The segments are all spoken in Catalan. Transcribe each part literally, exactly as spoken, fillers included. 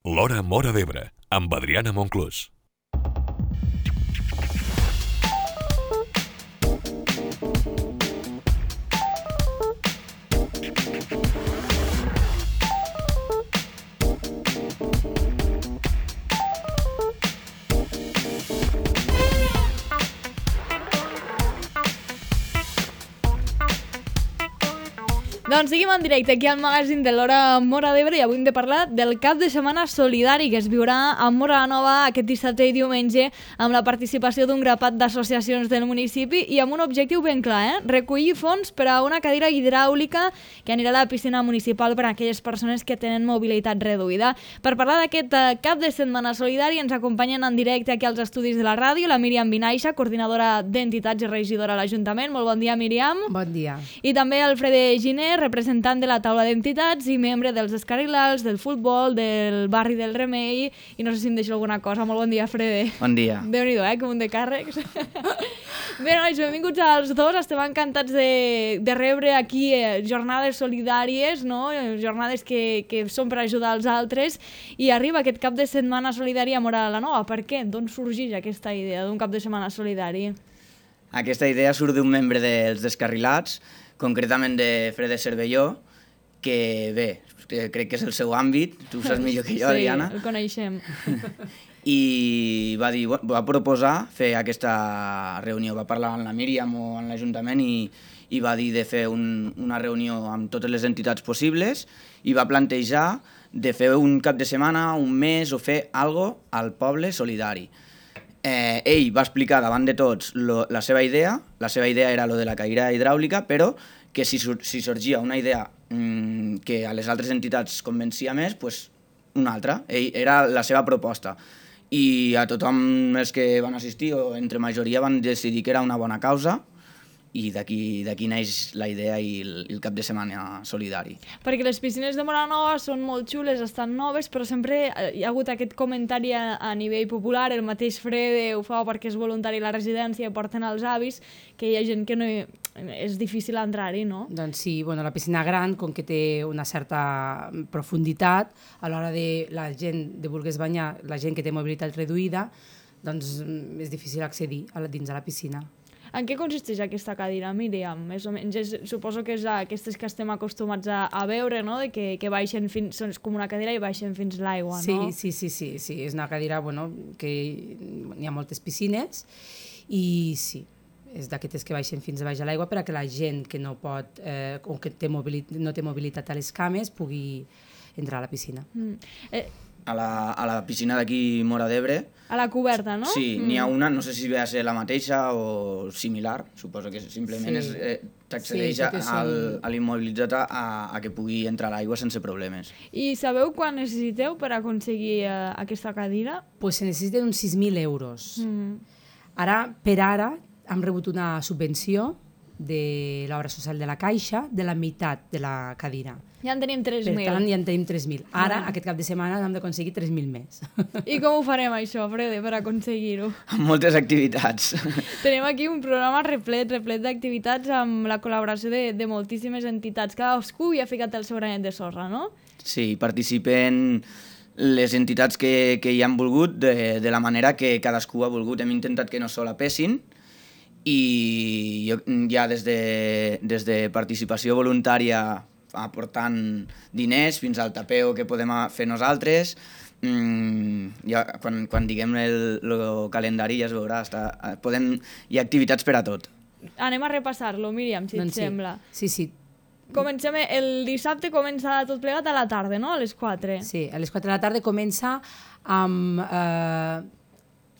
L'Hora Móra d'Ebre, amb Adriana Monclús. Doncs seguim en directe aquí al magazín de l'Hora Móra d'Ebre i avui hem de parlar del cap de setmana solidari que es viurà a Móra la Nova aquest dissabte i diumenge amb la participació d'un grapat d'associacions del municipi i amb un objectiu ben clar, eh? recollir fons per a una cadira hidràulica que anirà a la piscina municipal per a aquelles persones que tenen mobilitat reduïda. Per parlar d'aquest cap de setmana solidari ens acompanyen en directe aquí als estudis de la ràdio la Míriam Vinaixa, coordinadora d'entitats i regidora a l'Ajuntament. Molt bon dia, Míriam. Bon dia. I també el Frede Giner, representant de la taula d'entitats i membre dels Descarrilats, del futbol, del barri del Remei, i no sé si em deixo alguna cosa. Molt bon dia, Frede. Bon dia. Déu-n'hi-do, eh, com un de càrrecs. Bé, nois, benvinguts als dos. Estem encantats de, de rebre aquí eh, jornades solidàries, no? jornades que, que són per ajudar els altres, i arriba aquest cap de setmana solidari a Móra la Nova. Per què? D'on sorgeix aquesta idea d'un cap de setmana solidari? Aquesta idea surt d'un membre dels Descarrilats, concretament de Frede Cervelló, que bé, que crec que és el seu àmbit, tu ho saps millor que jo, sí, Adriana. Sí, el coneixem. I va dir, va proposar fer aquesta reunió, va parlar amb la Míriam o amb l'Ajuntament i, i va dir de fer un, una reunió amb totes les entitats possibles i va plantejar de fer un cap de setmana, un mes o fer algo al poble solidari. Eh, ell va explicar davant de tots lo, la seva idea, la seva idea era lo de la cadira hidràulica, però que si, si sorgia una idea mmm, que a les altres entitats convencia més, pues una altra. Ell, era la seva proposta. I a tothom els que van assistir, o entre majoria, van decidir que era una bona causa, i d'aquí d'aquí neix la idea i el, el cap de setmana solidari. Perquè les piscines de Móra la Nova són molt xules, estan noves, però sempre hi ha hagut aquest comentari a, a nivell popular, el mateix Frede ho fa perquè és voluntari a la residència i porten els avis, que hi ha gent que no hi, és difícil entrar-hi, no? Doncs sí, bueno, la piscina gran, com que té una certa profunditat, a l'hora de la gent de volgués banyar, la gent que té mobilitat reduïda, doncs és difícil accedir a la, dins de la piscina. En què consisteix aquesta cadira, Míriam? Més o menys, és, suposo que és aquestes que estem acostumats a, a veure, no? De que, que baixen fins, són com una cadira i baixen fins l'aigua, sí, no? Sí, sí, sí, sí, és una cadira, bueno, que hi ha moltes piscines i sí, és d'aquestes que baixen fins a baix a l'aigua per a que la gent que no pot, eh, o que té mobilitat, no té mobilitat a les cames pugui entrar a la piscina. Mm. Eh, A la, a la piscina d'aquí Móra d'Ebre. A la coberta, no? Sí, mm. n'hi ha una, no sé si ve a ser la mateixa o similar, suposo que simplement sí. eh, t'accedeix sí, al, a l'immobilitzat a, a que pugui entrar a l'aigua sense problemes. I sabeu quan necessiteu per aconseguir eh, aquesta cadira? Pues se necessiten uns sis mil euros. Mm. Ara, per ara, hem rebut una subvenció de l'obra social de la Caixa de la meitat de la cadira. Ja en tenim tres mil. Per tant, ja en tenim tres mil. Ara, ah. aquest cap de setmana, hem d'aconseguir tres mil més. I com ho farem, això, Frede, per aconseguir-ho? Amb moltes activitats. Tenim aquí un programa replet, replet d'activitats amb la col·laboració de, de moltíssimes entitats. Cadascú hi ha ficat el seu granet de sorra, no? Sí, participen les entitats que, que hi han volgut de, de la manera que cadascú ha volgut. Hem intentat que no solapessin, i jo, ja des de, des de participació voluntària aportant diners fins al tapeo que podem fer nosaltres, mm, ja, quan, quan diguem el, el calendari ja es veurà, està, podem, hi ha activitats per a tot. Anem a repassar-lo, Míriam, si doncs et sí. sembla. Sí, sí. Comencem, el dissabte comença tot plegat a la tarda, no? A les quatre. Sí, a les quatre de la tarda comença amb... Eh,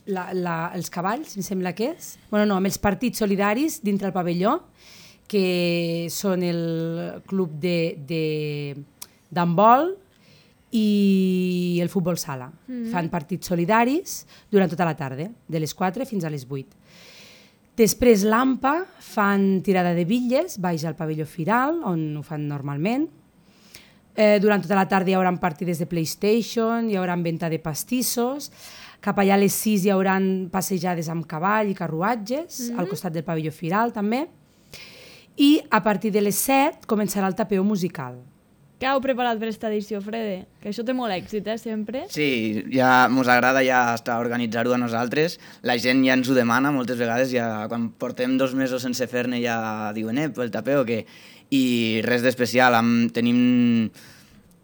La, la, els cavalls, em sembla que és, bueno, no, amb els partits solidaris dintre el pavelló, que són el club d'handbol i el futbol sala. Mm-hmm. Fan partits solidaris durant tota la tarda, de les quatre fins a les vuit. Després l'A M P A fan tirada de bitlles, baix al pavelló Firal, on ho fan normalment. Eh, durant tota la tarda hi haurà partides de PlayStation, hi haurà venda de pastissos. Cap allà a les sis hi haurà passejades amb cavall i carruatges, mm-hmm. al costat del pavelló Firal també. I a partir de les set començarà el tapeo musical. Què heu preparat per aquesta edició, Frede? Que això té molt èxit, eh, sempre. Sí, ja mos agrada ja estar organitzar-ho a nosaltres. La gent ja ens ho demana moltes vegades, ja quan portem dos mesos sense fer-ne ja diuen, eh, el tapeu o què? I res d'especial, am- tenim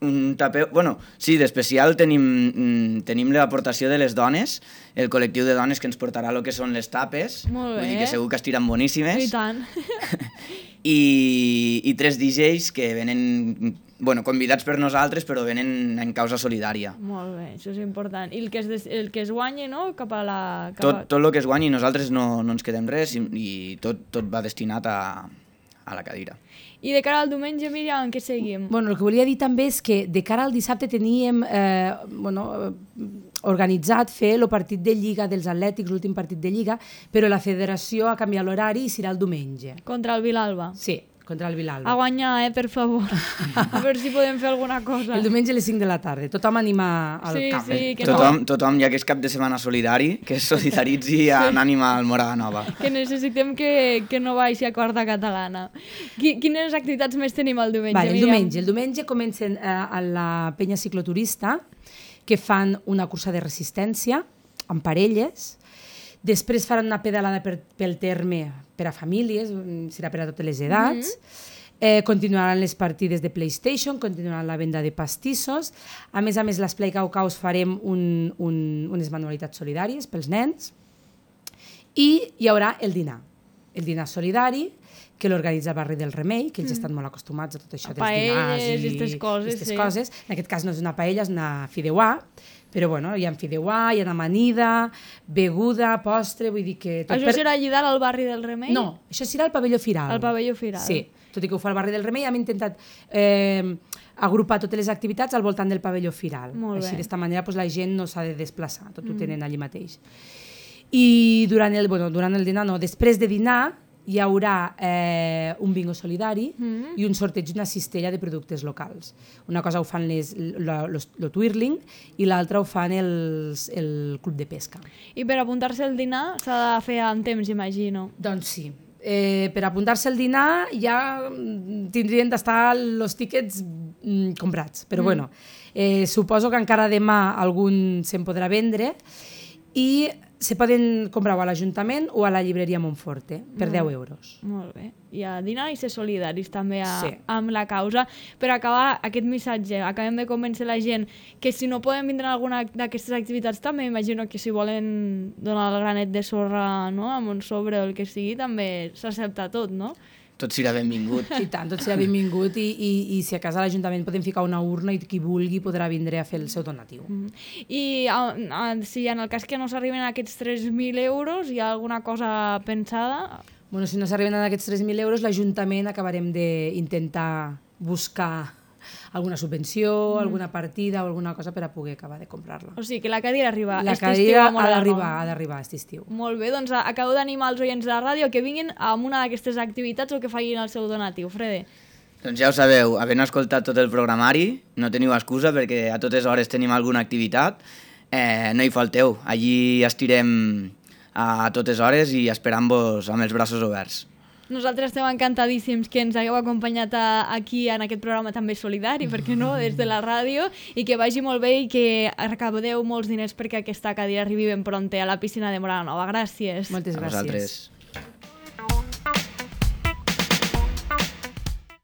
un tapeu... Bueno, sí, d'especial tenim, tenim l'aportació de les dones, el col·lectiu de dones que ens portarà el que són les tapes. Molt bé. Vull dir que segur que estiran boníssimes. I tant. I, i tres D Js que venen, bueno, convidats per nosaltres, però venen en causa solidària. Molt bé, això és important. I el que es, des... el que es guanyi, no?, cap a la... Cap Tot, a... tot el que es guanyi, nosaltres no, no ens quedem res i, i tot, tot va destinat a, a la cadira. I de cara al diumenge, Míriam, en què seguim? Bueno, el que volia dir també és que de cara al dissabte teníem eh, bueno, eh, organitzat fer el partit de Lliga dels Atlètics, l'últim partit de Lliga, però la federació ha canviat l'horari i serà el diumenge. Contra el Vilalba. Sí, contra el Vilalba. A guanyar, eh, per favor. A veure si podem fer alguna cosa. El diumenge a les cinc de la tarda. Tothom anima al Sí, camp. sí, que Tothom, tothom, ja que és cap de setmana solidari, que es solidaritzi en ànima al Morada Nova. Que necessitem que, que no baixi a quarta catalana. Qui, quines activitats més tenim el diumenge, Vale, el Míriam? diumenge. El diumenge comencen eh, a la penya cicloturista, que fan una cursa de resistència amb parelles. Després faran una pedalada per, pel terme per a famílies, serà per a totes les edats. Mm-hmm. eh, continuaran les partides de PlayStation, continuaran la venda de pastissos. A més a més, l'Esplai Caucaus farem un, un, unes manualitats solidàries pels nens. I hi haurà el dinar, el dinar solidari, que l'organitza el barri del Remei, que ells mm. estan molt acostumats a tot això A dels dinars paelles i i aquestes coses, aquestes sí. coses. En aquest cas no és una paella, és una fideuà, però bueno, hi ha fideuà, hi ha amanida, beguda, postre, vull dir que... Això per... serà allí dalt al barri del Remei? No, això serà al pavelló Firal. Al pavelló Firal. Sí, tot i que ho fa el barri del Remei, hem intentat eh, agrupar totes les activitats al voltant del pavelló Firal. Molt Així, bé. d'esta manera, pues, la gent no s'ha de desplaçar, tot mm. ho tenen allí mateix. I durant el, bueno, durant el dinar, no, després de dinar, hi haurà eh, un bingo solidari mm. i un sorteig d'una cistella de productes locals. Una cosa ho fan les, el Twirling i l'altra ho fan els, el club de pesca. I per apuntar-se al dinar s'ha de fer amb temps, imagino. Doncs sí. Eh, per apuntar-se al dinar ja tindrien d'estar els tíquets mm, comprats, però mm. bueno, eh, suposo que encara demà algun se'n podrà vendre i se poden comprar a l'Ajuntament o a la llibreria Montforte per deu euros. Molt bé. I a dinar i ser solidaris també a, Sí. amb la causa. Per acabar aquest missatge, acabem de convèncer la gent que si no poden vindre a alguna d'aquestes activitats també, imagino que si volen donar el granet de sorra, no?, amb un sobre o el que sigui, també s'accepta tot, no? Tot serà benvingut. I tant, tot serà benvingut i, i, i si a casa a l'Ajuntament podem ficar una urna i qui vulgui podrà vindre a fer el seu donatiu. Mm. I a, a, si en el cas que no s'arriben a aquests tres mil euros hi ha alguna cosa pensada? Bueno, si no s'arriben a aquests tres mil euros, l'Ajuntament acabarem d'intentar buscar alguna subvenció, mm. alguna partida o alguna cosa per a poder acabar de comprar-la. O sigui, que la cadira arriba La aquest estiu cadira a ha Morada d'arribar, Nova. ha d'arribar aquest estiu. Molt bé, doncs acabo d'animar els oients de la ràdio que vinguin a una d'aquestes activitats o que facin el seu donatiu. Frede. Doncs ja ho sabeu, havent escoltat tot el programari, no teniu excusa perquè a totes hores tenim alguna activitat, eh, no hi falteu. Allí estirem a totes hores i esperant-vos amb els braços oberts. Nosaltres estem encantadíssims que ens hagueu acompanyat a, aquí en aquest programa també solidari, per què no, des de la ràdio, i que vagi molt bé i que recapteu molts diners perquè aquesta cadira arribi ben prompte a la piscina de Morada Nova. Gràcies. Moltes A gràcies. vosaltres.